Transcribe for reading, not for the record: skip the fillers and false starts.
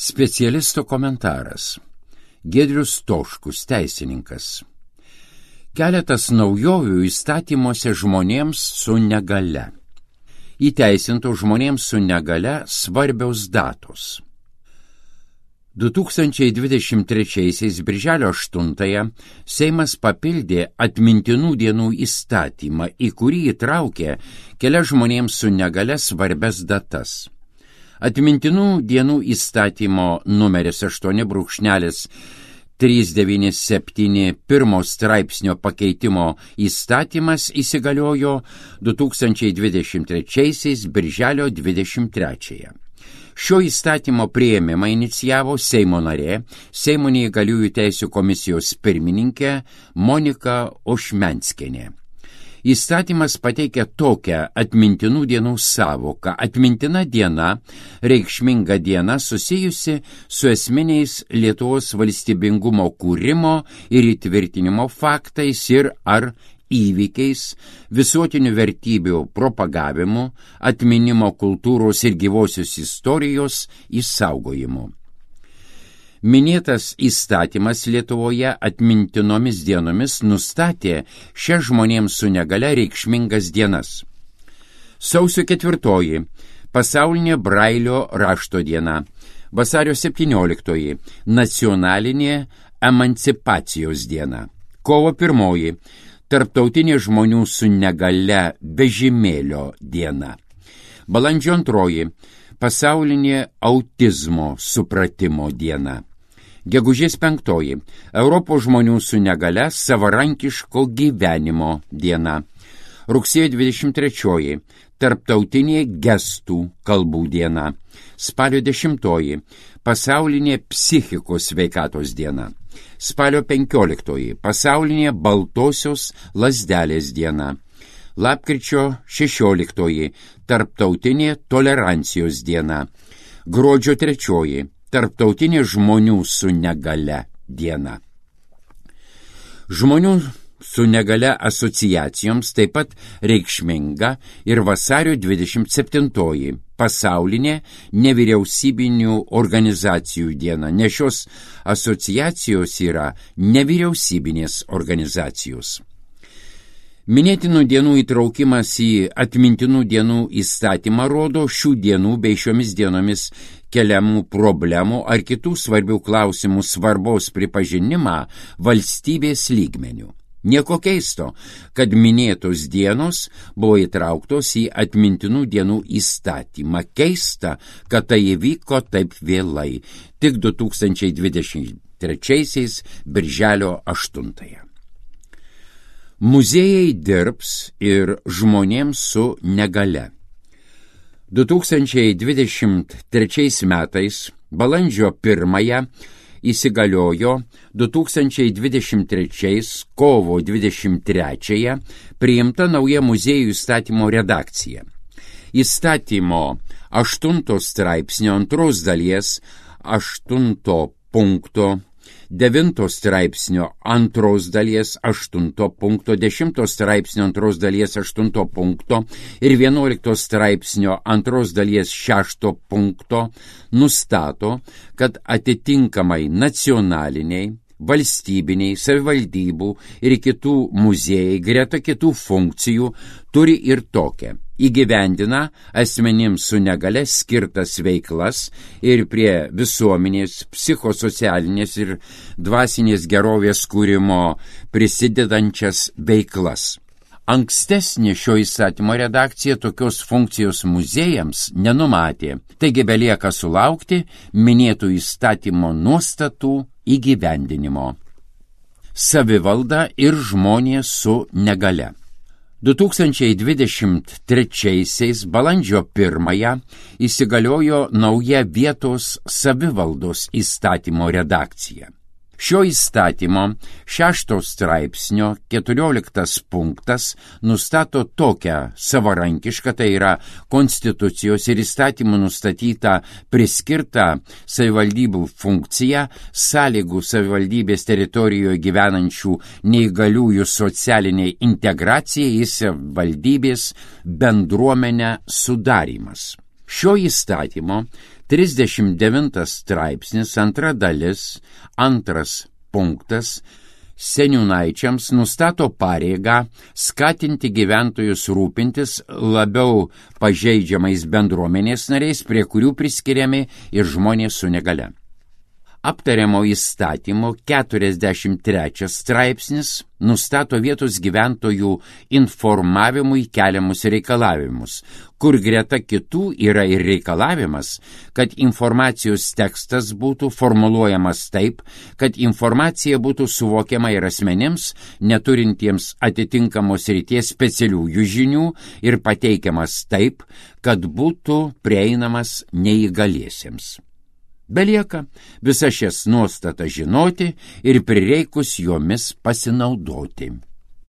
Specialisto komentaras. Giedrius Toškus, teisininkas. Keletas naujovių įstatymuose žmonėms su negale. Įteisintų žmonėms su negale svarbiaus datos. 2023 birželio 8 Seimas papildė atmintinų dienų įstatymą, į kurį įtraukė kelias žmonėms su negale svarbias datas. Atmintinų dienų įstatymo numeris 8.397 pirmo straipsnio pakeitimo įstatymas įsigaliojo 2023 birželio 23. Šio įstatymo priėmimą inicijavo Seimo narė, Seimo neįgaliųjų teisių komisijos pirmininkė Monika Ošmenskienė. Įstatymas pateikia tokią atmintinų dienų sąvoką. Atmintina diena, reikšminga diena susijusi su esminiais Lietuvos valstybingumo kūrimo ir įtvirtinimo faktais ir ar įvykiais, visuotinių vertybių propagavimu, atminimo kultūros ir gyvosios istorijos išsaugojimu. Minėtas įstatymas Lietuvoje atmintinomis dienomis nustatė šias žmonėms su negale reikšmingas dienas. Sausio 4 pasaulinė Brailio rašto diena, vasario 17 nacionalinė emancipacijos diena, kovo 1 tarptautinė žmonių su negale vežimėlio diena, balandžio 2 pasaulinė autizmo supratimo diena. Gegužės 5 Europos žmonių su negale savarankiško gyvenimo diena. Rugsėjo 23 tarptautinė gestų kalbų diena. Spalio 10 pasaulinė psichikos sveikatos diena. Spalio 15 pasaulinė baltosios lazdelės diena. Lapkričio 16 tarptautinė tolerancijos diena. Gruodžio 3 tarptautinė žmonių su negale diena. Žmonių su negale asociacijoms taip pat reikšminga ir vasario 27 pasaulinė nevyriausybinių organizacijų diena, nes šios asociacijos yra nevyriausybinės organizacijos. Minėtinų dienų įtraukimas į atmintinų dienų įstatymą rodo šių dienų bei šiomis dienomis keliamų problemų ar kitų svarbių klausimų svarbos pripažinimą valstybės lygmeniu. Nieko keisto, kad minėtos dienos buvo įtrauktos į atmintinų dienų įstatymą. Keista, kad tai įvyko taip vėlai, tik 2023 birželio 8. Muziejai dirbs ir žmonėms su negale. 2023 metais balandžio 1 įsigaliojo 2023 kovo 23 priimta nauja muziejų įstatymo redakcija. Įstatymo 8 straipsnio 2 dalies 8 punkto 9 straipsnio 2 dalies 8 punkto, 10 straipsnio 2 dalies 8 punkto ir 11 straipsnio 2 dalies 6 punkto nustato, kad atitinkamai nacionaliniai, valstybiniai, savivaldybių ir kitų muziejai greta kitų funkcijų turi ir tokią. Įgyvendina asmenims su negale skirtas veiklas ir prie visuomenės, psichosocialinės ir dvasinės gerovės kūrimo prisidedančias veiklas. Ankstesnė šio įstatymo redakcija tokios funkcijos muziejams nenumatė, taigi belieka sulaukti minėtų įstatymo nuostatų įgyvendinimo. Savivalda ir žmonės su negale. 2023 balandžio 1 įsigaliojo nauja vietos savivaldos įstatymo redakcija. Šio įstatymo 6 straipsnio 14 punktas nustato tokią savarankišką, tai yra konstitucijos ir įstatymų nustatytą priskirtą savivaldybių funkciją sąlygų savivaldybės teritorijoje gyvenančių neįgaliųjų socialiniai integracijai į savivaldybės bendruomenę sudarymas. Šio įstatymo 39 straipsnis, 2 dalis, 2 punktas seniūnaičiams nustato pareigą skatinti gyventojus rūpintis labiau pažeidžiamais bendruomenės nariais, prie kurių priskiriami ir žmonės su negalia. Aptariamo įstatymo 43 straipsnis nustato vietos gyventojų informavimui keliamus reikalavimus, kur greta kitų yra ir reikalavimas, kad informacijos tekstas būtų formuluojamas taip, kad informacija būtų suvokiama ir asmenims, neturintiems atitinkamos srities specialiųjų žinių ir pateikiamas taip, kad būtų prieinamas neįgaliesiems. Belieka visas šias nuostatas žinoti ir prireikus jomis pasinaudoti.